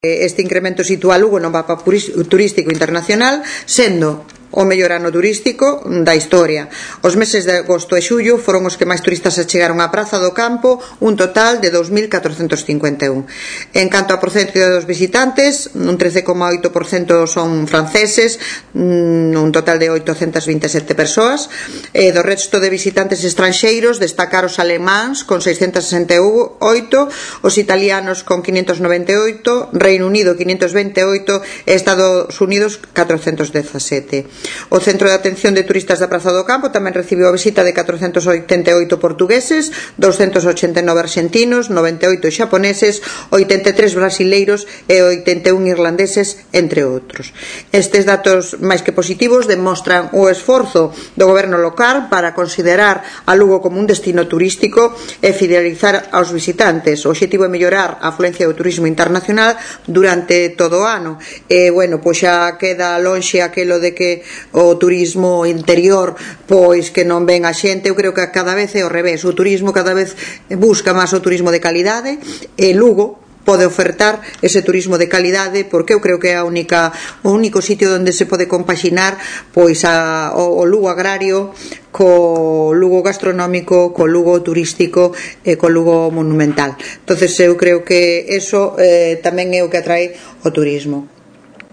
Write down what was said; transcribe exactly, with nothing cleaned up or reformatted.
Este incremento sitúa Lugo no mapa turístico internacional, sendo o mellor ano turístico da historia. Os meses de agosto e xullo foron os que máis turistas achegaron á Praza do Campo, un total de dous mil catrocentos cincuenta e un. En canto a porcentaxe dos visitantes, un trece coma oito por cento son franceses, un total de oitocentas vinte e sete persoas, e do resto de visitantes estranxeiros destacar os alemáns con seiscentas sesenta e oito, os italianos con quinhentos noventa e oito, Reino Unido quinhentos vinte e oito e Estados Unidos catrocentos dezasete. O Centro de Atención de Turistas da Praza do Campo tamén recibiu a visita de catrocentos oitenta e oito portugueses, douscentos ochenta e nove arxentinos, noventa e oito xaponeses, oitenta e tres brasileiros e oitenta e un irlandeses, entre outros. Estes datos máis que positivos demostran o esforzo do goberno local para considerar a Lugo como un destino turístico e fidelizar aos visitantes. O obxectivo é mellorar a afluencia do turismo internacional durante todo o ano. E, bueno, pois xa queda lonxe aquelo de que o turismo interior pois que non ven a xente. Eu creo que cada vez é ao revés, o turismo cada vez busca máis o turismo de calidade e Lugo pode ofertar ese turismo de calidade, porque eu creo que é a única o único sitio onde se pode compaxinar pois a, o, o Lugo agrario co Lugo gastronómico, co Lugo turístico e co Lugo monumental. Entonces eu creo que eso eh, tamén é o que atrae o turismo.